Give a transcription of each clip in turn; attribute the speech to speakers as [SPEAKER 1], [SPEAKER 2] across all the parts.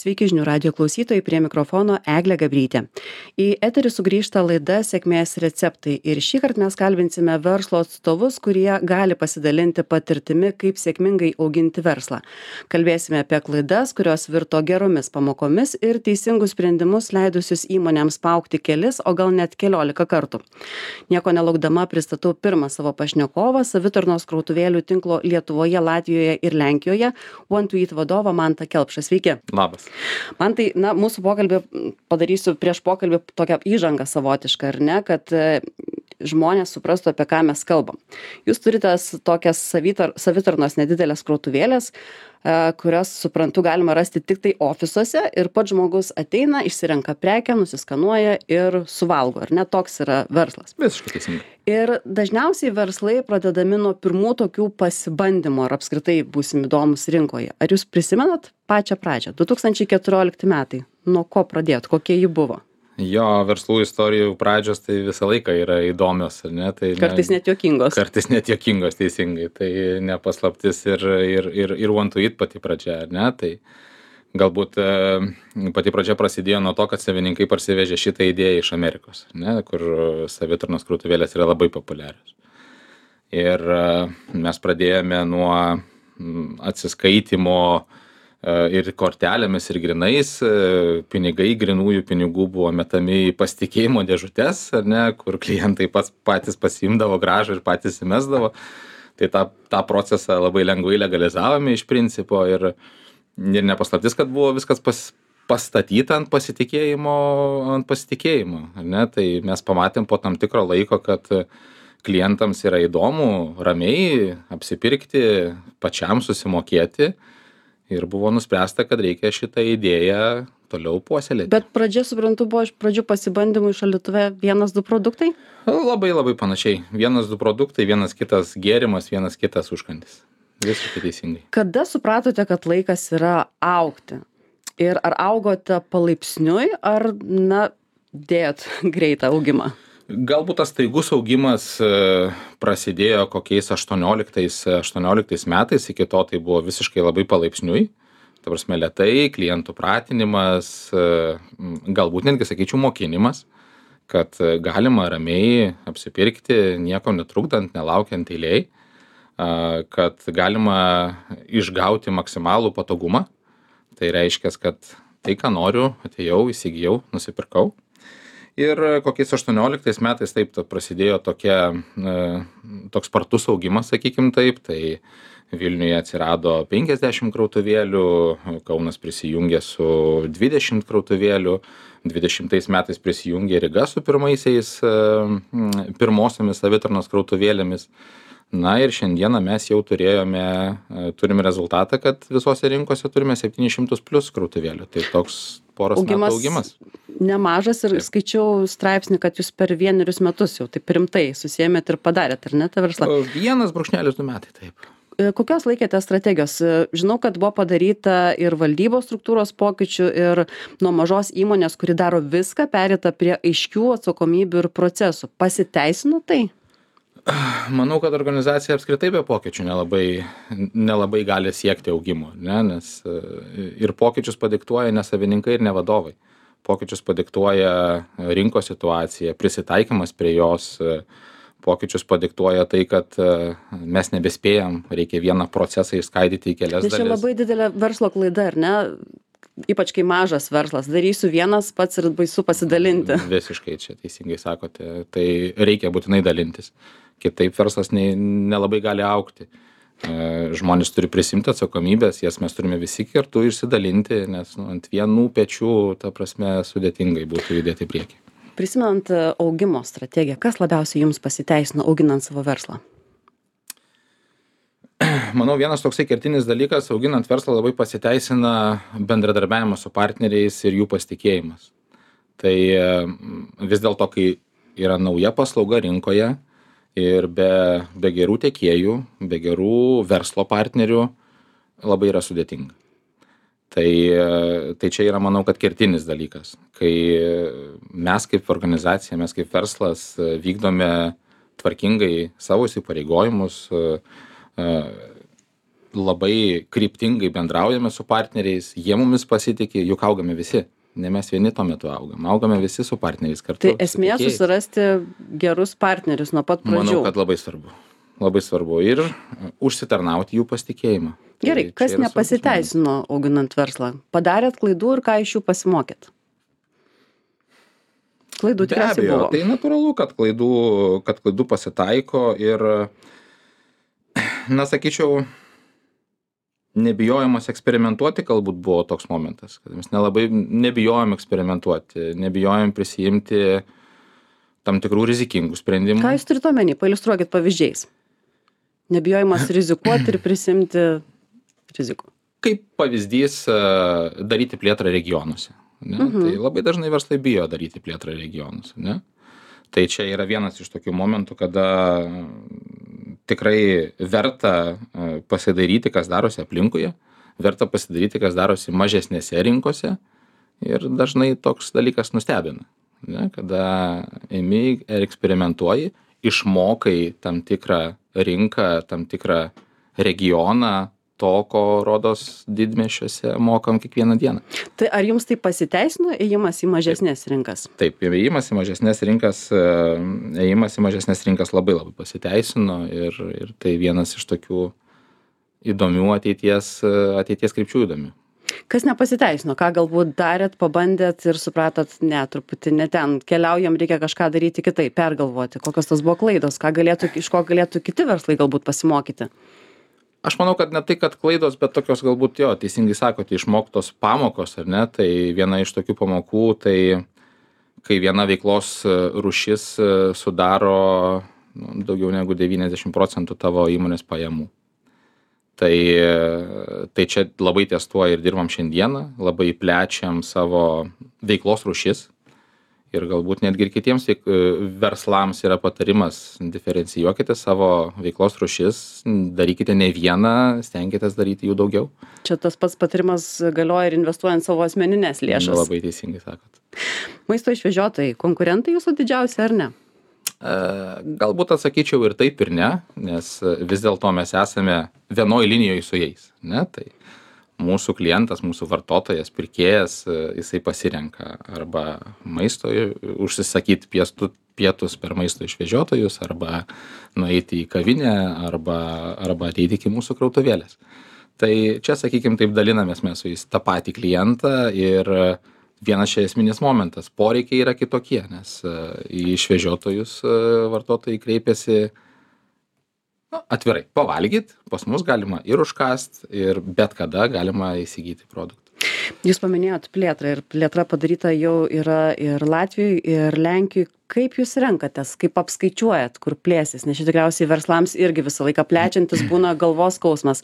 [SPEAKER 1] Sveiki žinių radijo klausytojai, prie mikrofono Eglė Gabrytė. Į eterį sugrįžta laida Sėkmės receptai ir šįkart mes kalbinsime verslo atstovus, kurie gali pasidalinti patirtimi, kaip sėkmingai auginti verslą. Kalbėsime apie klaidas, kurios virto geromis pamokomis ir teisingus sprendimus leidusius įmonėms paaugti kelis, o gal net 11 kartų. Nieko nelaukdama pristatau pirmą savo pašnekovą, savitarnos krautuvėlių tinklo Lietuvoje, Latvijoje ir Lenkijoje, One2Eat vadovą Mantą Kelpšą. Sveiki.
[SPEAKER 2] Labas.
[SPEAKER 1] Mantai, mūsų pokalbį padarysiu prieš pokalbį tokią įžangą savotišką, ar ne, kad žmonės suprastų, apie ką mes kalbam. Jūs turite tokias savitarnos nedidelės krautuvėlės, kurias, suprantu, galima rasti tik tai ofisuose ir pats žmogus ateina, išsirenka prekę, nusiskanuoja ir suvalgo, ar ne, toks yra verslas.
[SPEAKER 2] Visiškai teisingai.
[SPEAKER 1] Ir dažniausiai verslai pradedami nuo pirmų tokių pasibandymų ar apskritai būsim įdomus rinkoje. Ar jūs prisimenat pačią pradžią? 2014 metai. Nuo ko pradėjot? Kokie jį buvo?
[SPEAKER 2] Jo, verslų istorijų pradžios tai visą laiką yra įdomios, ar ne? Tai
[SPEAKER 1] kartais net juokingos.
[SPEAKER 2] Kartais net juokingos, teisingai. Tai nepaslaptis ir One2Eat pati pradžia, ar ne? Tai galbūt pati pradžia prasidėjo nuo to, kad savininkai parsivežė šitą idėją iš Amerikos, ne? Kur savitarnos krautuvėlės yra labai populiarios. Ir mes pradėjome nuo atsiskaitimo ir kortelėmis, ir grinais. Pinigai, grinųjų pinigų buvo metami į pasitikėjimo dėžutes, ar ne, kur klientai patys pasiimdavo grąžą ir patys įmesdavo. Tai tą procesą labai lengvai legalizavome iš principo ir nepaslaptis, kad buvo viskas pastatyta ant pasitikėjimo, ar ne. Tai mes pamatėm po tam tikro laiko, kad klientams yra įdomu ramiai apsipirkti, pačiam susimokėti. Ir buvo nuspręsta, kad reikia šitą idėją toliau puoselėti.
[SPEAKER 1] Bet pradžia, suprantu, buvo iš pradžių pasibandymų iš šaldytuve 1-2 produktai?
[SPEAKER 2] Labai panašiai. 1-2 produktai, vienas kitas gėrimas, vienas kitas užkandis. Visiškai teisingai.
[SPEAKER 1] Kada supratote, kad laikas yra augti? Ir ar augote palaipsniui, ar, dėjot greitą augimą?
[SPEAKER 2] Galbūt tas staigus augimas prasidėjo kokiais 18 metais, iki to tai buvo visiškai labai palaipsniui. Ta prasme, lėtai, klientų pratinimas, galbūt netgi, sakyčiau, mokinimas, kad galima ramiai apsipirkti, nieko netrukdant, nelaukiant eilėj, kad galima išgauti maksimalų patogumą. Tai reiškia, kad tai, ką noriu, atėjau, įsigijau, nusipirkau. Ir kokiais 18 metais taip prasidėjo toks spartus augimas, sakykim taip. Tai Vilniuje atsirado 50 krautuvėlių, Kaunas prisijungė su 20 krautuvėlių, 20 metais prisijungė Ryga su pirmosiomis savitarnos krautuvėlėmis. Na ir šiandieną mes jau turime rezultatą, kad visose rinkose turime 700 plus krautuvėlių. Tai toks poros metų augimas.
[SPEAKER 1] Nemažas ir skaičiau straipsnį, kad jūs per 1 metus jau taip rimtai susėmėt ir padarėt, ar ne, tą verslą?
[SPEAKER 2] 1,2 metai, taip.
[SPEAKER 1] Kokios laikėte strategijos? Žinau, kad buvo padaryta ir valdybos struktūros pokyčių ir nuo mažos įmonės, kuri daro viską, pereita prie aiškių atsakomybių ir procesų. Pasiteisino tai?
[SPEAKER 2] Manau, kad organizacija apskritai be pokyčių nelabai gali siekti augimo, ne? Nes ir pokyčius padiktuoja ne savininkai ir ne vadovai. Pokyčius padiktuoja rinkos situacija, prisitaikymas prie jos, pokyčius padiktuoja tai, kad mes nebespėjam, reikia vieną procesą išskaidyti į kelias dalis.
[SPEAKER 1] Čia labai didelė verslo klaida, ar ne? Ypač kai mažas verslas, darysiu vienas pats ir baisu pasidalinti.
[SPEAKER 2] Visiškai čia teisingai sakote, tai reikia būtinai dalintis. Kitaip verslas nelabai gali augti. Žmonės turi prisimti atsakomybės, jas mes turime visi kartu išsidalinti, nes ant vienų pečių, ta prasme, sudėtingai būtų judėti į priekį.
[SPEAKER 1] Prisimenant augimo strategiją, kas labiausiai jums pasiteisino auginant savo verslą?
[SPEAKER 2] Manau, vienas toksai kertinis dalykas, auginant verslą labai pasiteisina bendradarbiavimas su partneriais ir jų pasitikėjimas. Tai vis dėlto, kai yra nauja paslauga rinkoje ir be gerų tiekėjų, be gerų verslo partnerių, labai yra sudėtinga. Tai čia yra, manau, kad kertinis dalykas. Kai mes kaip organizacija, mes kaip verslas vykdome tvarkingai savo įsipareigojimus, labai kryptingai bendraujame su partneriais, jie mumis pasitikė, juk augame visi. Ne mes vieni tuo metu augame visi su partneriais kartu.
[SPEAKER 1] Tai esmė susirasti gerus partnerius nuo pat pradžių.
[SPEAKER 2] Manau, kad labai svarbu. Labai svarbu ir užsitarnauti jų pasitikėjimą.
[SPEAKER 1] Gerai, kas nepasiteisino auginant verslą? Padarėt klaidų ir ką iš jų pasimokėt? Klaidų tikriausiai buvo.
[SPEAKER 2] Tai natūralu, kad klaidų pasitaiko ir, na, sakyčiau, nebijojimas eksperimentuoti galbūt buvo toks momentas, kad mes nelabai nebijojom eksperimentuoti, nebijojom prisijimti tam tikrų rizikingų sprendimų.
[SPEAKER 1] Ką jūs turite omeny? Pailiustruokit pavyzdžiais. Nebijojimas rizikuoti ir prisimti rizikų.
[SPEAKER 2] Kaip pavyzdys daryti plėtrą regionuose. Ne? Tai labai dažnai verslai bijo daryti plėtrą regionuose. Ne? Tai čia yra vienas iš tokių momentų, kada tikrai verta pasidaryti, kas darosi aplinkoje, verta pasidaryti, kas darosi mažesnėse rinkose ir dažnai toks dalykas nustebina. Ne? Kada imi ir eksperimentuoji, išmokai tam tikrą rinką, tam tikrą regioną, to, ko rodos didmiesčiuose mokam kiekvieną dieną.
[SPEAKER 1] Tai ar jums tai pasiteisino ėjimas į mažesnės rinkas?
[SPEAKER 2] Taip, ėjimas į mažesnės rinkas labai labai pasiteisino ir tai vienas iš tokių įdomių ateities krypčių įdomių.
[SPEAKER 1] Kas nepasiteisino? Ką galbūt darėt, pabandėt ir supratot, ne, truputį ne ten, keliaujam, reikia kažką daryti kitaip, pergalvoti, kokios tas buvo klaidos, iš ko galėtų kiti verslai galbūt pasimokyti?
[SPEAKER 2] Aš manau, kad ne tai, kad klaidos, bet tokios galbūt, teisingai sakote, išmoktos pamokos, ar ne? Tai viena iš tokių pamokų, tai kai viena veiklos rūšis sudaro daugiau negu 90% tavo įmonės pajamų. Tai čia labai ties tuo ir dirbam šiandieną, labai plečiam savo veiklos rūšis. Ir galbūt netgi ir kitiems verslams yra patarimas, diferencijuokite savo veiklos rūšis, darykite ne vieną, stenkitės daryti jų daugiau.
[SPEAKER 1] Čia tas pats patarimas galioja ir investuojant savo asmeninės lėšas.
[SPEAKER 2] Labai teisingai sakot.
[SPEAKER 1] Maisto išvežiotojai, konkurentai jūsų didžiausi ar ne?
[SPEAKER 2] Galbūt atsakyčiau ir taip ir ne, nes vis dėlto mes esame vienoj linijoje su jais. Ne? Tai mūsų klientas, mūsų vartotojas, pirkėjas, jisai pasirenka arba maisto užsisakyti pietus per maisto išvežiotojus, arba nueiti į kavinę, arba ateiti iki mūsų krautuvėlės. Tai čia, sakykime, taip dalinamės mes su jais tą patį klientą ir vienas čia esminis momentas. Poreikiai yra kitokie, nes į išvežiotojus vartotojai kreipiasi atvirai, pavalgyt, pas mus galima ir užkast, ir bet kada galima įsigyti produktų.
[SPEAKER 1] Jūs paminėjot plėtrą ir plėtra padaryta jau yra ir Latvijoj, ir Lenkijoj. Kaip jūs renkatės, kaip apskaičiuojat, kur plėsis? Nes čia tikriausiai verslams irgi visą laiką plečiantis būna galvos skausmas.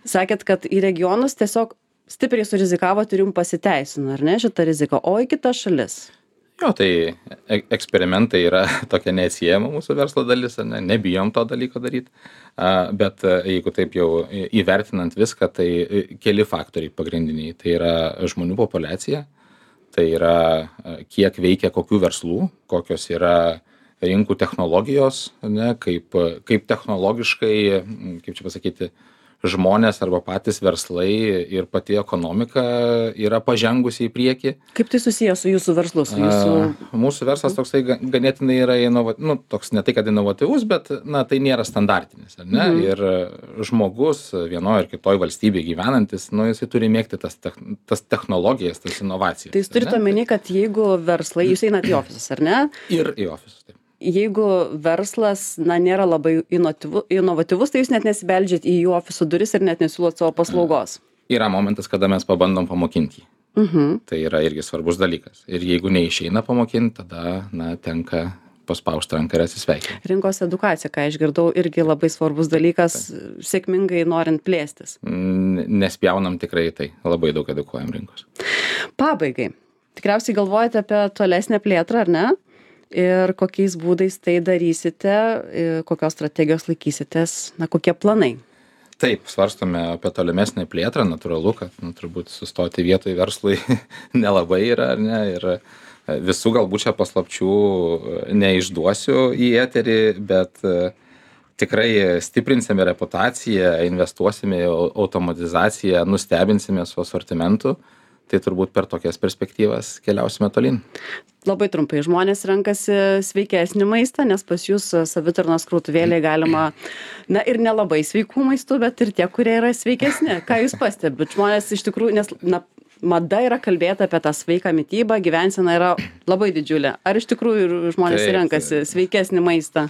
[SPEAKER 1] Sakėt, kad į regionus tiesiog stipriai surizikavot ir jums pasiteisino, ar ne, šitą riziką, o į kitas šalis?
[SPEAKER 2] Tai eksperimentai yra tokia neatsiejama mūsų verslo dalis, ne? Nebijom to dalyko daryti, bet jeigu taip jau įvertinant viską, tai keli faktoriai pagrindiniai. Tai yra žmonių populiacija, tai yra kiek veikia kokių verslų, kokios yra rinkų technologijos, ne? Kaip technologiškai, kaip čia pasakyti, žmonės arba patys verslai ir pati ekonomika yra pažengusi į priekį.
[SPEAKER 1] Kaip tai susiję su jūsų verslu?
[SPEAKER 2] Mūsų verslas toksai ganėtinai yra toks ne tai, kad inovatyvus, bet tai nėra standartinis. Ar ne? Ir žmogus vienoje ar kitoje valstybėje gyvenantis, jisai turi mėgti tas technologijas, tas inovacijas.
[SPEAKER 1] Tai jūs turite omeny, kad jeigu verslai, jūs einat į ofisus, ar ne?
[SPEAKER 2] Ir į ofisus, taip.
[SPEAKER 1] Jeigu verslas nėra labai inovatyvus, tai jūs net nesibeldžiat į jų ofisų duris ir net nesiūlot savo paslaugos.
[SPEAKER 2] Yra momentas, kada mes pabandom pamokinti. Tai yra irgi svarbus dalykas. Ir jeigu neišeina pamokinti, tada tenka paspausti ranką ir atsisveikinti.
[SPEAKER 1] Rinkos edukacija, ką išgirdau, irgi labai svarbus dalykas, sėkmingai norint plėstis.
[SPEAKER 2] Nespjaunam tikrai tai. Labai daug edukuojam rinkos.
[SPEAKER 1] Pabaigai. Tikriausiai galvojate apie tolesnę plėtrą, ar ne? Ir kokiais būdais tai darysite, kokios strategijos laikysitės, kokie planai?
[SPEAKER 2] Taip, svarstome apie tolimesnę plėtrą, natūralu, kad turbūt sustoti vietoj verslui nelabai yra, ar ne, ir visų galbūt čia paslapčių neišduosiu į eterį, bet tikrai stiprinsime reputaciją, investuosime į automatizaciją, nustebinsime su asortimentu, tai turbūt per tokias perspektyvas keliausime tolyn.
[SPEAKER 1] Labai trumpai, žmonės renkasi sveikesnį maistą, nes pas jūs savitarnos krautuvėlėje galima, na ir nelabai sveikų maistų, bet ir tie, kurie yra sveikesni. Ką jūs pastebit? Žmonės iš tikrųjų, nes mada yra kalbėti apie tą sveiką mitybą, gyvensena yra labai didžiulė. Ar iš tikrųjų žmonės renkasi sveikesnį maistą?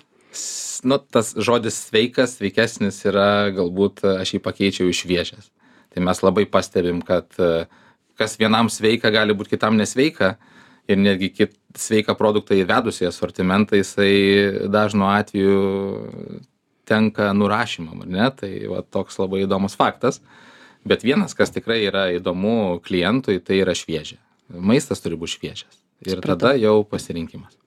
[SPEAKER 2] Nu, tas žodis sveikas, sveikesnis yra, galbūt aš jį pakeičiau iš šviežias. Tai mes labai pastebim, kad kas vienam sveika, gali būti kitam nesveika. Ir netgi sveiką produktą įvedus į asortimentą, jisai dažnu atveju tenka nurašymam, ar ne? Tai va, toks labai įdomus faktas. Bet vienas, kas tikrai yra įdomu klientui, tai yra šviežia. Maistas turi būti šviežias. Ir tada jau pasirinkimas.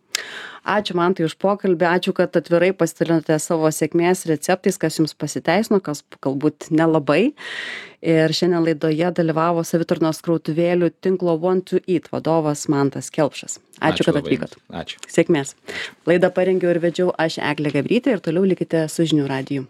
[SPEAKER 1] Ačiū Mantai už pokalbį, ačiū, kad atvirai pasidalinote savo sėkmės receptais, kas jums pasiteisino, kas galbūt nelabai. Ir šiandien laidoje dalyvavo savitarnos krautuvėlių tinklo Want to Eat vadovas Mantas Kelpšas. Ačiū kad atvykot.
[SPEAKER 2] Ačiū.
[SPEAKER 1] Sėkmės. Laidą parengiau ir vedžiau aš, Eglė Gabrytė, ir toliau likite su Žinių radiju.